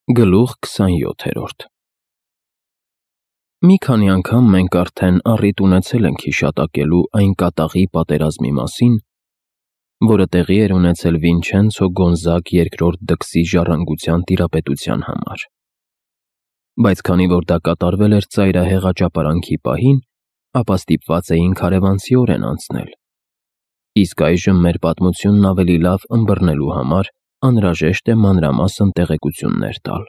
Գլուխ 27 Մի քանի անգամ մենք արդեն առիթ ունեցել ենք հիշատակելու այն կատաղի պատերազմի մասին, որը տեղի էր ունեցել Վինչենցո Գոնզագ II դքսի ժառանգության տիրապետության համար, բայց քանի որ դա կատարվել էր ծայրահեղ աճապարանքի պահին, ապա ստիպված էինք հարևանցիորեն անցնել, իսկ այժմ մեր պատմությունն ավելի լավ ըմբռնելու համար անհրաժեշտ է մանրամասն տեղեկություններ տալ։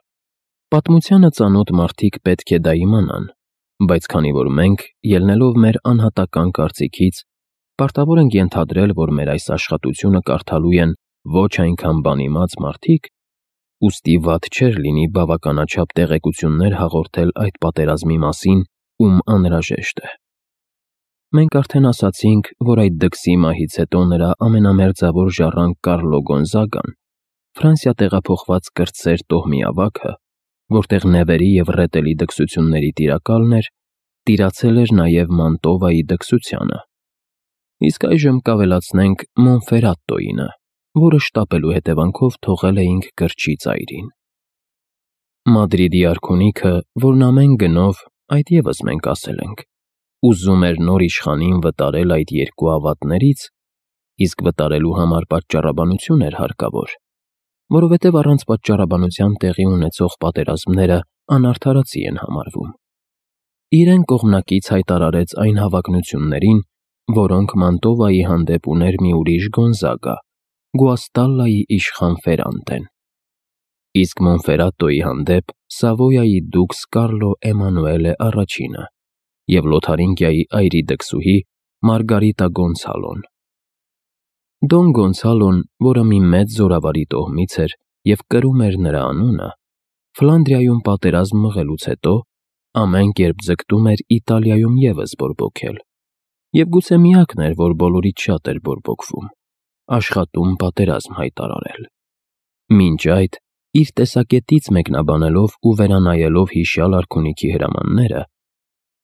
Պատմությանը ծանոթ մարդիկ պետք է դա իմանան, բայց քանի որ մենք, ելնելով մեր անհատական կարծիքից, պարտավոր ենք ենթադրել, որ մեր այս աշխատությունը կարդալու են ոչ այնքան բանիմաց մարդիկ, ուստի վատ չէր լինի բավականաչափ տեղեկություններ հաղորդել այդ պատերազմի մասին, ում անհրաժեշտ է։ Մենք արդեն ասացինք, որ այդ դքսի մահից հետո նրա ամենամերձավոր ժառանգ Կարլո Գոնզագան, Ֆրանսիա տեղափոխված կրտսեր տոհմի ավագը, որտեղ նևերի և ռետելի դքսությունների տիրակալն էր, տիրացել էր նաև Մանտովայի դքսությանը։ Իսկ այժմ կավելացնենք Մոնֆերատոյինը, որը շտապելու հետևանքով թողել էինք գրչի ծայրին։ Մադրիդի արքունիքը, որն ամեն գնով, այդ ևս մենք ասել ենք, ուզում էր նոր իշխանին վտարել այդ երկու ավատներից, իսկ վտարելու համար պատճառաբանություն էր հարկավոր, որովհետև առանց պատճառաբանության տեղի ունեցող պատերազմները անարդարացի են համարվում։ Իրեն կողմնակից հայտարարեց այն հավակնություններին, որոնք Մանտովայի հանդեպ ուներ մի ուրիշ Գոնզագա, Գուաստալլայի իշխան Ֆերանտեն, իսկ Մոնֆերատոյի հանդեպ Սավոյայի դուքս Կարլո Էմանուելե առաջինը և Լոթարինգիայի այրի դքսուհի Մարգարիտա Գոնցալոն։ Դոն Գոնցալոն, որը մի մեծ զորավարի տոհմից էր և կրում էր նրա անունը, Ֆլանդրիայում պատերազմ մղելուց հետո ամեն կերպ ձգտում էր Իտալիայում ևս բորբոքել, և գուցե միակն էր, որ բոլորից շատ էր բորբոքվում, աշխատում պատերազմ հայտարարել։ Մինչ այդ, իր տեսակետից մեկնաբանելով ու վերանայելով հիշյալ արքունիքի հրամանները,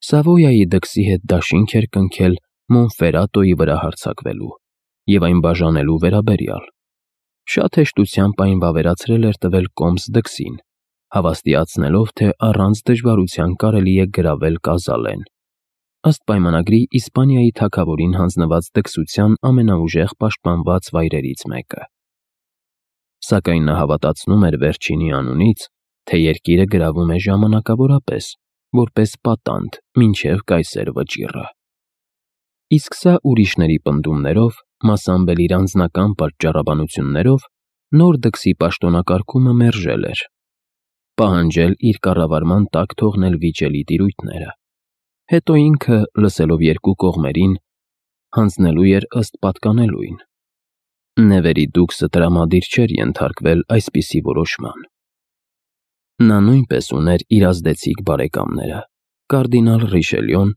Սավոյայի դքսի հետ դաշինք էր կնքել Մոնֆերատոյի վրա հարձակվելու և այն բաժանելու վերաբերյալ։ Շատ հեշտությամբ այն վավերացրել էր տվել կոմս դքսին, հավաստիացնելով, թե առանց դժվարության կարելի է գրավել Կազալեն, ըստ պայմանագրի Իսպանիայի թագավորին հանձնված դքսության ամենաուժեղ պաշտպանված վայրերից մեկը։ Սակայն նա հավատացնում էր վերջինի անունից, թե երկիրը գրավում է ժամանակավորապես, որպես պատանդ մինչև կայսեր վճիռը։ Իսկ սա ուրիշների պնդումներով, մասամբ էլ իր անձնական պատճառաբանություններով, նոր դքսի պաշտոնակարգումը մերժել էր, պահանջել իր կառավարման տակ թողնել վիճելի տիրույթները, հետո ինքը, լսելով երկու կողմերին, հանձնելու էր ըստ պատկանելույն։ Նևերի դուքսը տրամադիր չէր ենթարկվել այսպիսի որոշման։ Նա նույնպես ուներ իր ազդեցիկ բարեկամները՝ կարդինալ Ռիշելյոն,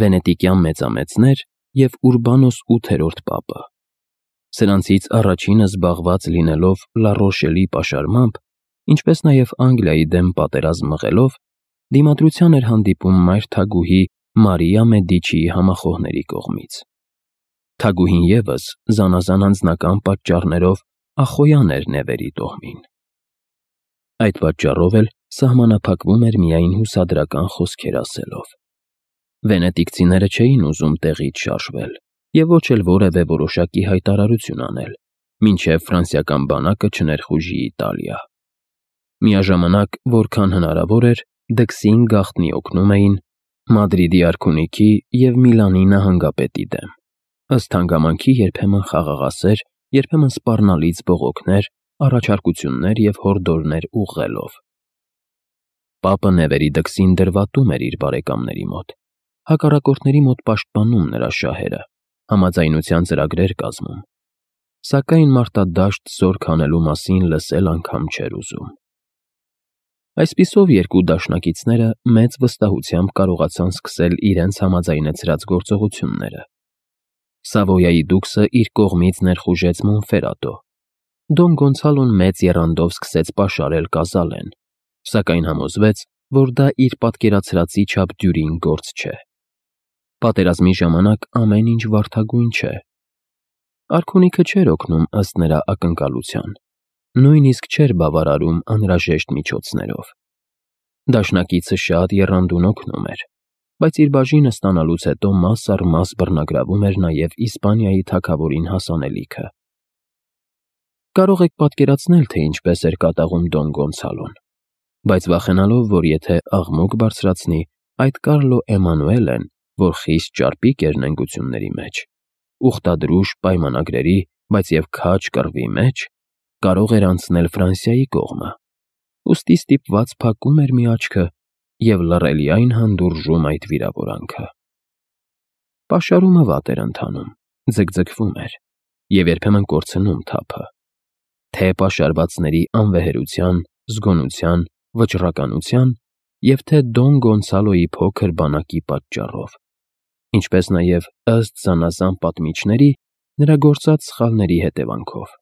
վենետիկյան մեծամեծներ և Ուրբանոս 8-րդ պապը։ Սրանցից առաջինը զբաղված լինելով Լառոշելի պաշարմամբ, ինչպես նաև Անգլիայի դեմ պատերազմ մղելով, դիմադրության էր հանդիպում մայր թագուհի Մարիա Մեդիչիի համախոհների կողմից։ Թագուհին ևս զանազան անձնական պատճառներով ախոյան էր նևերի տոհմին։ Այդ պատճառով էլ սահմանափակվում էր միայն հուսադրական խոսքեր ասելով։ Վենետիկցիները չէին ուզում տեղից շարժվել և ոչ էլ որևէ որոշակի հայտարարություն անել, մինչև ֆրանսիական բանակը չներխուժի Իտալիա։ Միաժամանակ, որքան հնարավոր էր, դքսին գաղտնի օգնում էին Մադրիդի արքունիքի և Միլանի նահանգապետի դեմ, ըստ հանգամանքի երբեմն խաղաղասեր, երբեմն սպառնալից բողոքներ, առաջարկություններ և հորդորներ ուղղելով։ Պապը նևերի դքսին դրվատում էր իր բարեկամների մոտ, հակառակորդների մոտ պաշտպանում նրա շահերը, համաձայնության ծրագրեր կազմում, սակայն մարտադաշտ զորք հանելու մասին լսել անգամ չէր ուզում։ Այսպիսով երկու դաշնակիցները մեծ վստահությամբ կարողացան սկսել իրենց համաձայնեցրած գործողությունները։ Սավոյայի դուքսը իր կողմից ներխուժեց Մոնֆերատո, Դոն Գոնցալոն մեծ եռանդով սկսեց պաշարել Կազալեն, սակայն համոզվեց, որ դա իր պատկերացրածի չափ դյուրին գործ չէ։ Պատերազմի ժամանակ ամեն ինչ վարդագույն չէ։ Արքունիքը չէր օգնում ըստ նրա ակնկալության, նույնիսկ չէր բավարարում անհրաժեշտ միջոցներով։ Դաշնակիցը շատ եռանդուն օգնում էր, բայց իր բաժինը ստանալուց հետո մաս առ մաս բռնագրավում էր նաև Իսպանիայի թագավորին հասանելիքը։ Կարող եք պատկերացնել, թե ինչպես էր կատաղում Դոն Գոնսալոն, բայց վախենալով, որ եթե աղմուկ բարձրացնի, այդ Կարլո Էմանուելեն, որ խիստ ճարպիկ էր նենգությունների մեջ, ուխտադրուժ պայմանագրերի, բայց և քաջ կռվի մեջ, կարող էր անցնել Ֆրանսիայի կողմը, ուստի ստիպված փակում էր մի աչքը և լռելիայն հանդուրժում այդ վիրավորանքը։ Պաշարումը վատ էր ընթանում, ձգձգվում էր և երբեմն կորցնում թափը, թե պաշարվածների անվեհերության, զգոնության, վճռականության և թե Դոն Գոնսալոյի փոքր բանակի պատճառով, ինչպես նաև ըստ զանազան պատմիչների նրա գործած սխալների հետևանքով։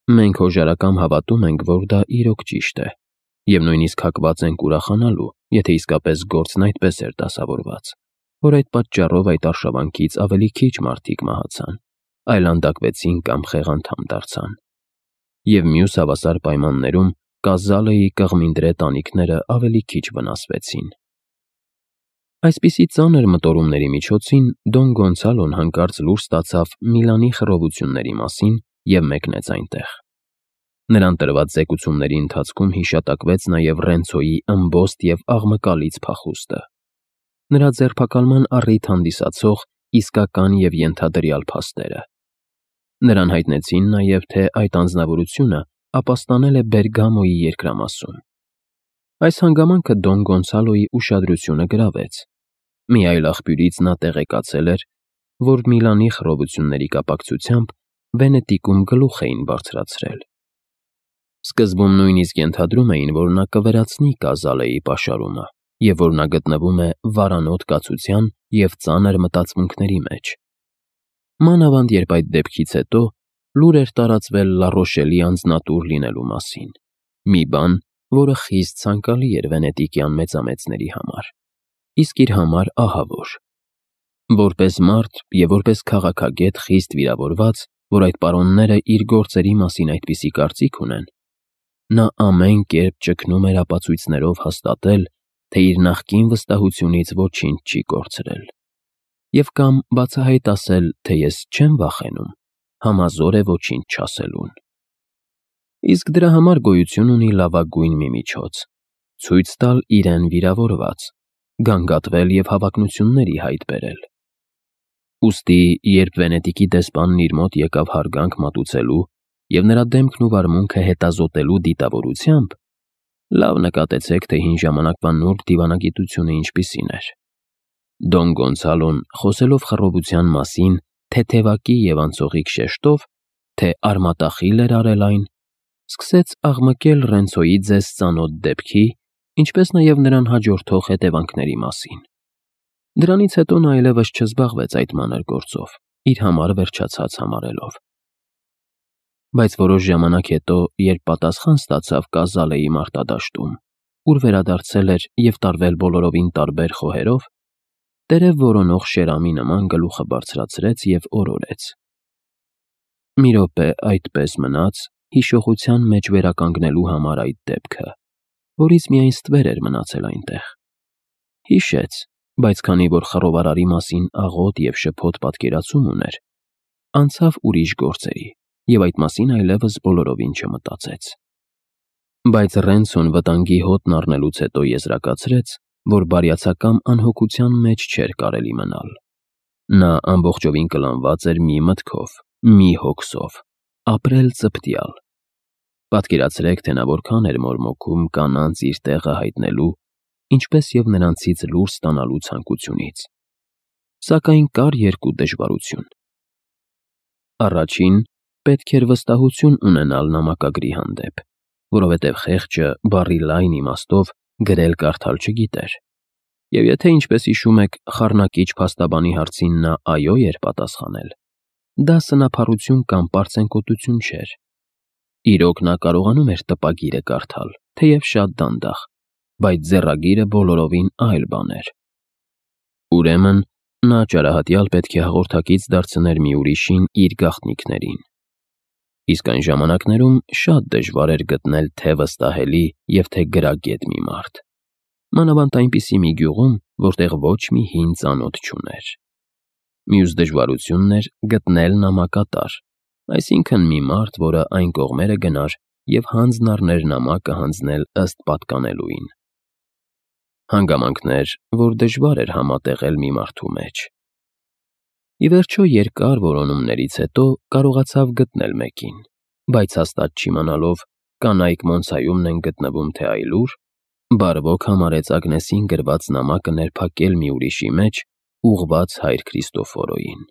Մենք հոժարակամ հավատում ենք, որ դա իրոք ճիշտ է, և նույնիսկ հակված ենք ուրախանալու, եթե իսկապես գործն այդպես էր դասավորված, որ այդ պատճառով այդ արշավանքից ավելի քիչ մարդիկ մահացան, այլանդակվեցին կամ խեղանդամ դարձան, և մյուս հավասար պայմաններում Կազալեի կղմինդրե տանիքները ավելի քիչ վնասվեցին։ Այսպիսի ծանր մտորումների միջոցին Դոն Գոնսալոն հանկարծ լուր ստացավ Միլանի խռովությունների մասին և մեկնեց այնտեղ։ Նրան տրված զեկուցումների ընթացքում հիշատակվեց նաև Ռենցոյի ըմբոստ և աղմկալից փախուստը, նրա ձերբակալման առիթ հանդիսացող իսկական և ենթադրյալ փաստերը։ Նրան հայտնեցին նաև, թե այդ անձնավորությունը ապաստանել է Բերգամոյի երկրամասում։ Այս հանգամանքը Դոն Գոնսալոյի ուշադրությունը գրավեց։ Մի այլ աղբյուրից նա տեղեկացել էր, որ Միլանի խռովությունների կապակցությամբ Վենետիկում գլուխ էին բարձրացրել։ Սկզբում նույնիսկ ենթադրում էին, որ նա կվերացնի Կազալեի պաշարումը և որ նա գտնվում է վարանոտ կացության և ծանր մտածմունքների մեջ։ Մանավանդ երբ այդ դեպքից հետո լուր էր տարածվել Լառոշելի անձնատուր լինելու մասին, մի բան, որը խիստ ցանկալի էր վենետիկյան մեծամեծների համար, իսկ իր համար ահավոր։ Որպես մարդ և որպես քաղաքագետ խիստ վիրավորված, որ այդ պարոնները իր գործերի մասին այդպիսի կարծիք ունեն, նա ամեն կերպ ճգնում էր ապացույցներով հաստատել, թե իր նախկին վստահությունից ոչինչ չի կորցրել, և կամ բացահայտ ասել, թե ես չեմ վախենում, համազոր է ոչինչ չասելուն։ Իսկ դրա համար գոյություն ունի լավագույն մի միջոց՝ ցույց տալ իրեն վիրավորված, գանգատվել և հավակնությունների հայտ բերել։ Ուստի, երբ Վենետիկի դեսպանն իր մոտ եկավ հարգանք մատուցելու և նրա դեմքն ու վարմունքը հետազոտելու դիտավորությամբ, լավ նկատեցեք, թե հին ժամանակվա նուրբ դիվանագիտությունը ինչպիսին էր։ Դոն Գոնսալոն, խոսելով խռովության մասին թեթևակի և անցողիկ շեշտով, թե արմատախիլ էր արել այն, սկսեց աղմկել Ռենցոյի ձեզ ծանոթ դեպքի, ինչպես նաև նրան հաջորդող հետևանքների մասին։ Դրանից հետո նա այլևս չզբաղվեց այդ մանր գործով, իր համար վերջացած համարելով։ Բայց որոշ ժամանակ հետո, երբ պատասխան ստացավ Կազալեի մարտադաշտում, ուր վերադարձել էր և տարվել բոլորովին տարբեր խոհերով, տերև որոնող շերամի նման գլուխը բարձրացրեց և օրորեց։ Մի րոպե այդպես մնաց, հիշողության մեջ վերականգնելու համար այդ դեպքը, որից միայն ստվեր էր մնացել այնտեղ։ Հիշեց, բայց քանի որ խռովարարի մասին աղոտ և շփոթ պատկերացում ուներ, անցավ ուրիշ գործերի և այդ մասին այլևս բոլորովին չմտածեց։ Բայց Ռենցոն վտանգի հոտն առնելուց հետո եզրակացրեց, որ բարյացակամ անհոգության մեջ չէր կարելի մնալ։ Նա ամբողջովին կլանված էր մի մտքով, մի հոգսով՝ ապրել ծպտյալ։ Պատկերացրեք, թե նա որքան էր մորմոքում կանանց իր տեղը հայտնելու, ինչպես և նրանցից լուր ստանալու ցանկությունից։ Սակայն կար երկու դժվարություն։ Առաջին, պետք էր վստահություն ունենալ նամակագրի հանդեպ, որովհետև խեղճը բառի լայն իմաստով գրել-կարդալ չգիտեր, և եթե, ինչպես հիշում եք, խառնակիչ փաստաբանի հարցին նա այո էր պատասխանել, դա սնափառություն կամ պարծենկոտություն չէր։ Իրոք նա կարողանում էր տպագիրը կարդալ, թեև շատ դանդաղ, բայց ձեռագիրը բոլորովին այլ բան էր։ Ուրեմն, նա ճարահատյալ պետք է հաղորդակից դարձներ մի ուրիշին իր գաղտնիքներին։ Իսկ այն ժամանակներում շատ դժվար էր գտնել թե վստահելի և թե գրագետ մի մարդ, մանավանդ այնպիսի մի գյուղում, որտեղ ոչ մի հին ծանոթ չուներ։ Մյուս դժվարությունն էր գտնել նամակատար, այսինքն մի մարդ, որը այն կողմերը գնար և հանձն առներ նամակը հանձնել ըստ պատկանելույն։ Հանգամանքներ, որ դժվար էր համատեղել մի մարդու մեջ։ Ի վերջո երկար որոնումներից հետո կարողացավ գտնել մեկին, բայց հաստատ չիմանալով կանայք Մոնսայումն են գտնվում թե այլուր, բարվոք համարեց Ագնեսին գրված նամակը ներփակել մի ուրիշի մեջ, ուղղված հայր Քրիստոֆորոյին։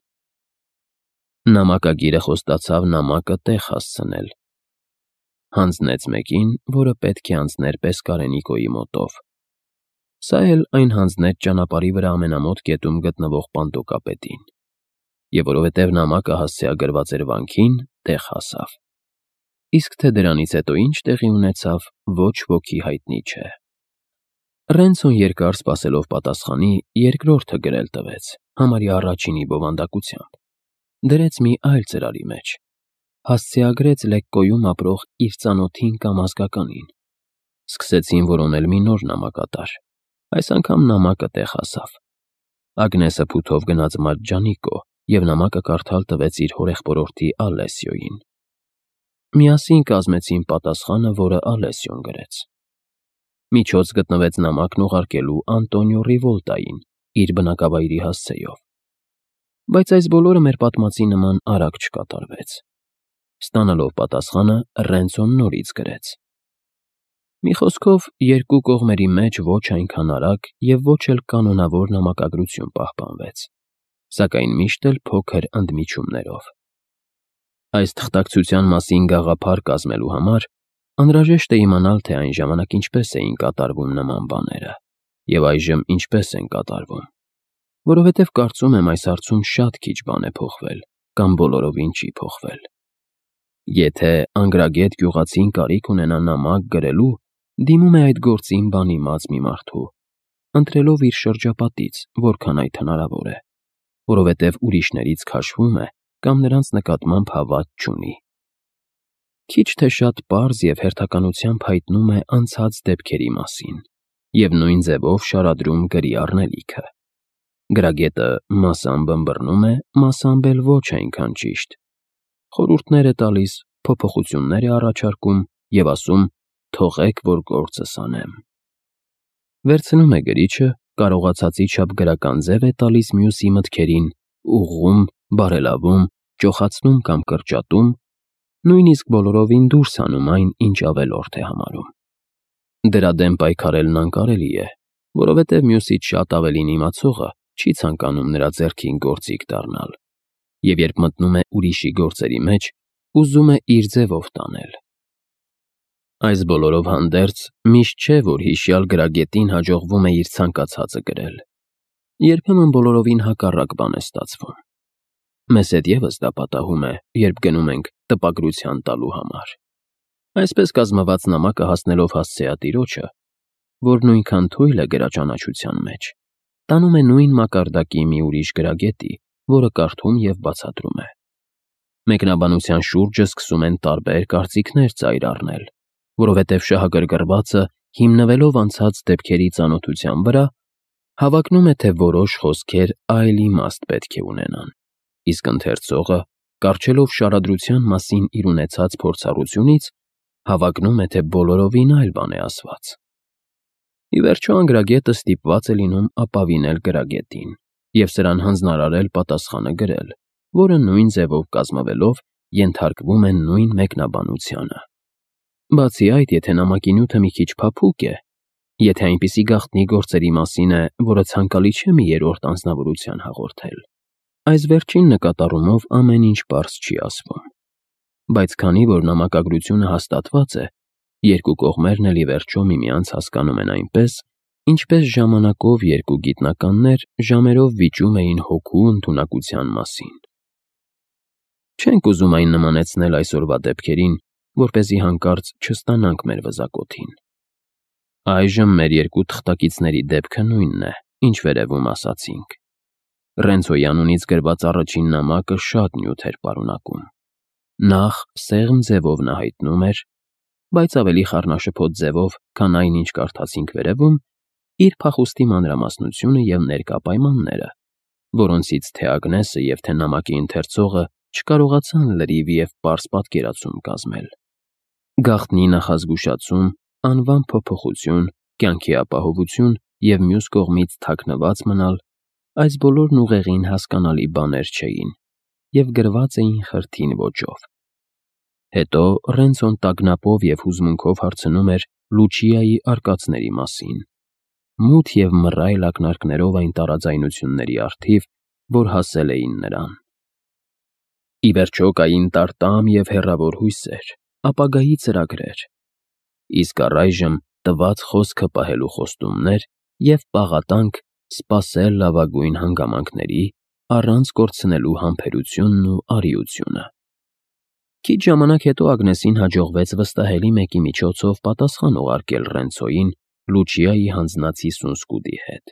Նամակագիրը խոստացավ նամակը տեղ հասցնել։ Հանձնեց մեկին, որը պետք է անցներ Պեսկարենիկոյի մոտով։ Սա էլ այն հանձնեց ճանապարհի վրա ամենամոտ կետում գտնվող Պանտոկապետին, և որովհետև նամակը հասցեագրված էր վանքին, տեղ հասավ։ Իսկ թե դրանից հետո ինչ տեղի ունեցավ, ոչ ոքի հայտնի չէ։ Ռենցոն երկար սպասելով պատասխանի, երկրորդը գրել տվեց, համարյա առաջինի բովանդակությամբ։ Դրեց մի այլ ծրարի մեջ։ Հասցեագրեց Լեկկոյում ապրող իր ծանոթին կամ ազգականին։ Սկսեցին որոնել մի նոր նամակատար։ Այս անգամ նամակը տեղ հասավ։ Ագնեսը փութով գնաց Մաջջանիկո և նամակը կարդալ տվեց իր հորեղբորորդի Ալեսիոյին։ Միասին կազմեցին պատասխանը, որը Ալեսիոն գրեց։ Միջոց գտնվեց նամակն ուղարկելու Անտոնիո Ռիվոլտային, իր բնակավայրի հասցեով։ Բայց այս բոլորը մեր պատմածի նման արագ չկատարվեց։ Ստանալով պատասխանը, Ռենցոն նորից գրեց։ Մի խոսքով, երկու կողմերի մեջ ոչ այնքան արագ և ոչ էլ կանոնավոր նամակագրություն պահպանվեց, սակայն միշտ էլ փոքր ընդմիջումներով։ Այս թղթակցության մասին գաղափար կազմելու համար անհրաժեշտ է իմանալ, թե այն ժամանակ ինչպես էին կատարվում նման բաները և այժմ ինչպես են կատարվում, որովհետև կարծում եմ այս հարցում շատ քիչ բան է փոխվել կամ բոլորովին չի փոխվել։ Եթե անգրագետ գյուղացին կարիք ունենա նամակ գրելու, դիմում է այդ գործին բանիմաց մի մարդու, ընտրելով իր շրջապատից, որքան այդ հնարավոր է, որովհետև ուրիշներից քաշվում է կամ նրանց նկատմամբ հավատ չունի։ Քիչ թե շատ պարզ և հերթականությամբ հայտնում է անցած դեպքերի մասին և նույն ձևով շարադրում գրի առնելիքը։ Գրագետը մասամբ ըմբռնում է, մասամբ էլ ոչ այնքան ճիշտ։ Խորհուրդներ է տալիս, փոփոխություններ է առաջարկում և ասում «թողեք, որ գործս անեմ»։ Վերցնում է գրիչը, կարողացածի չափ գրական ձև է տալիս մյուսի մտքերին, ուղղում, բարելավում, ճոխացնում կամ կրճատում, նույնիսկ բոլորովին դուրս հանում այն, ինչ ավելորդ է համարում։ Դրա դեմ պայքարելն անկարելի է, որովհետև մյուսից շատ ավելին իմացողը չի ցանկանում նրա ձեռքին գործիք դառնալ, և երբ մտնում է ուրիշի գործերի մեջ, ուզում է իր ձևով տանել։ Այս բոլորով հանդերձ, միշտ չէ, որ հիշյալ գրագետին հաջողվում է իր ցանկացածը գրել։ Երբեմն բոլորովին հակառակ բան է ստացվում։ Մեզ հետ ևս դա պատահում է, երբ գնում ենք տպագրության տալու համար։ Այսպես կազմված նամակը հասնելով հասցեատիրոջը, որ նույնքան թույլ է գրաճանաչության մեջ, տանում է նույն մակարդակի մի ուրիշ գրագետի, որը կարդում և բացատրում է։ Մեկնաբանության շուրջը սկսում են տարբեր կարծիքներ ծայր առնել, որովհետև շահագրգռվածը, հիմնվելով անցած դեպքերի ծանոթության վրա, հավակնում է, թե որոշ խոսքեր այլ իմաստ պետք է ունենան, իսկ ընթերցողը, կառչելով շարադրության մասին իր ունեցած փորձառությունից, հավակնում է, թե բոլորովին այլ բան է ասված։ Ի վերջո անգրագետը ստիպված է լինում ապավինել գրագետին և սրան հանձնարարել պատասխանը գրել, որը նույն ձևով կազմվելով ենթարկվում է նույն մեկնաբանությանը։ Բացի այդ, եթե նամակի նյութը մի քիչ փափուկ է, եթե այնպիսի գաղտնի գործերի մասին է, որը ցանկալի չէ մի երրորդ անձնավորության հաղորդել, այս վերջին նկատառումով ամեն ինչ պարզ չի ասվում։ Բայց քանի որ նամակագրությունը հաստատված է, երկու կողմերն էլ ի վերջո միմյանց հասկանում են այնպես, ինչպես ժամանակով երկու գիտնականներ ժամերով վիճում էին հոգու ընդունակության մասին։ Չենք ուզում այն նմանեցնել այսօրվա դեպքերին, որպեսզի հանկարծ չստանանք մեր վզակոթին։ Այժմ մեր երկու թղթակիցների դեպքը նույնն է, ինչ վերևում ասացինք։ Ռենցոյի անունից գրված առաջին նամակը շատ նյութ էր պարունակում։ Նախ սեղմ ձևով նա հայտնում էր, բայց ավելի խառնաշփոթ ձևով, քան այն, ինչ կարդացինք վերևում, իր փախուստի մանրամասնությունը և ներկա պայմանները, որոնցից թե Ագնեսը և թե նամակի ընթերցողը չկարողացան լրիվ և պարզ պատկերացում կազմել։ Գաղտնի նախազգուշացում, անվան փոփոխություն, կյանքի ապահովություն և մյուս կողմից թաքնված մնալ, այս բոլորն ուղեղին հասկանալի բաներ չէին և գրված էին խրթին ոճով։ Հետո Ռենցոն տագնապով և հուզմունքով հարցնում էր Լուչիայի արկածների մասին, մութ և մռայլ ակնարկներով այն տարաձայնությունների առթիվ, որ հասել էին նրան։ Ի վերջո կային տարտամ և հեռավոր հույսեր, ապագայի ծրագրեր, իսկ առայժմ տված խոսքը պահելու խոստումներ և պաղատանք սպասել լավագույն հանգամանքների, առանց կորցնելու համբերությունն ու արիությունը։ Քիչ ժամանակ հետո Ագնեսին հաջողվեց վստահելի մեկի միջոցով պատասխան ուղարկել Ռենցոյին Լուչիայի հանձնած 50 սկուտի հետ։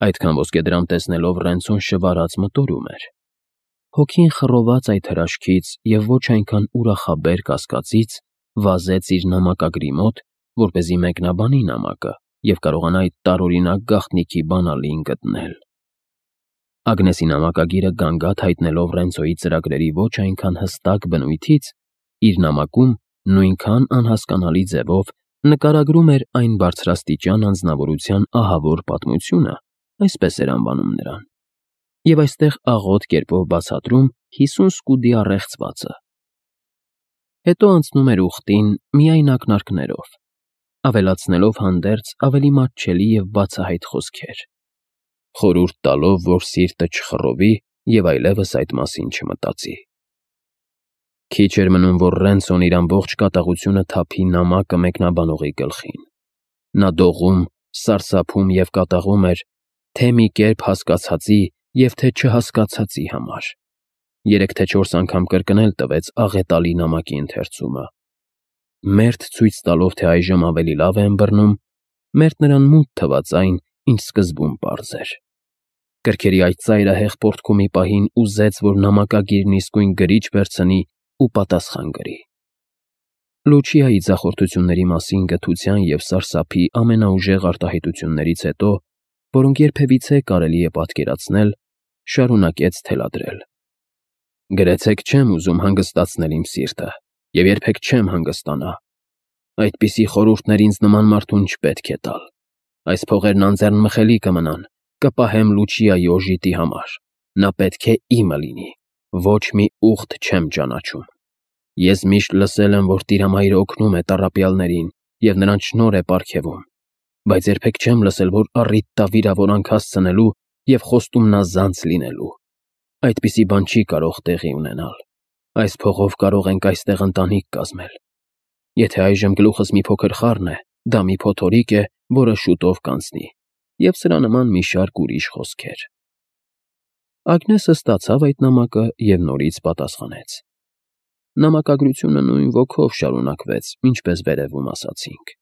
Այդքան ոսկեդրամ տեսնելով Ռենցոն շվարած մտորում էր։ Հոգին խռոված այդ հրաշքից և ոչ այնքան ուրախաբեր կասկածից, վազեց իր նամակագրի մոտ, որպեսզի մեկնաբանի նամակը և կարողանա այդ տարօրինակ գաղտնիքի բանալին գտնել։ Ագնեսի նամակագիրը գանգատ հայտնելով Ռենցոյի ծրագրերի ոչ այնքան հստակ բնույթից, իր նամակում նույնքան անհասկանալի ձևով նկարագրում էր այն բարձրաստիճան անձնավորության ահավոր պատմությունը, այսպես էր անվանում նրան, և այստեղ աղոտ կերպով բացատրում 50 սկուտի առեղծվածը։ Հետո անցնում էր ուխտին միայն ակնարկներով, ավելացնելով հանդերձ ավելի մատչելի և բացահայտ խոսքեր, խորհուրդ տալով, որ սիրտը չխռովի և այլևս այդ մասին չմտածի։ Քիչ էր մնում, որ Ռենցոն իր ամբողջ կատաղությունը թափի նամակը մեկնաբանողի գլխին։ Նա դողում, սարսափում և կատաղում էր թե մի կերպ հասկացածի և թե չհասկացածի համար։ 3 թե 4 անգամ կրկնել տվեց աղետալի նամակի ընթերցումը, մերթ ցույց տալով, թե այժմ ավելի լավ է ըմբռնում, մերթ նրան մութ թվաց այն, ինչ սկզբում պարզ էր։ Կրքերի այդ ծայրահեղ պոռթկումի պահին ուզեց, որ նամակագիրն իսկույն գրիչ վերցնի ու պատասխան գրի։ Լուչիայի ձախորդությունների մասին գթության և սարսափի ամենաուժեղ արտահայտություններից հետո, որոնք երբևիցե կարելի է պատկերացնել, շարունակեց թելադրել. «Գրեցեք չեմ ուզում հանգստացնել իմ սիրտը և երբեք չեմ հանգստանա։ Այդպիսի խորհուրդներ ինձ նման մարդուն չպետք է տալ։ Այս փողերն անձեռնմխելի կմնան, կպահեմ Լուչիայի օժիտի համար։ Նա պետք է իմը լինի, ոչ մի ուղտ չեմ ճանաչում։ Ես միշտ լսել եմ, որ Տիրամայրը օգնում է տառապյալներին և նրանց շնորհ է պարգևում, բայց երբեք չեմ լսել, որ առիթ տա վիրավորանք հասցնելու և խոստումնազանց լինելու։ Այդպիսի բան չի կարող տեղի ունենալ։ Այս փողով կարող ենք այստեղ ընտանիք կազմել։ Եթե այժմ գլուխս մի փոքր խառն է, դա մի փոթորիկ է, որը շուտով կանցնի, և սրա նման մի շարք ուրիշ խոսքեր»։ Ագնեսը ստացավ այդ նամակը և նորից պատասխանեց։ Նամակագրությունը նույն ոգով շարունակվեց, ինչպես վերևում ասացինք։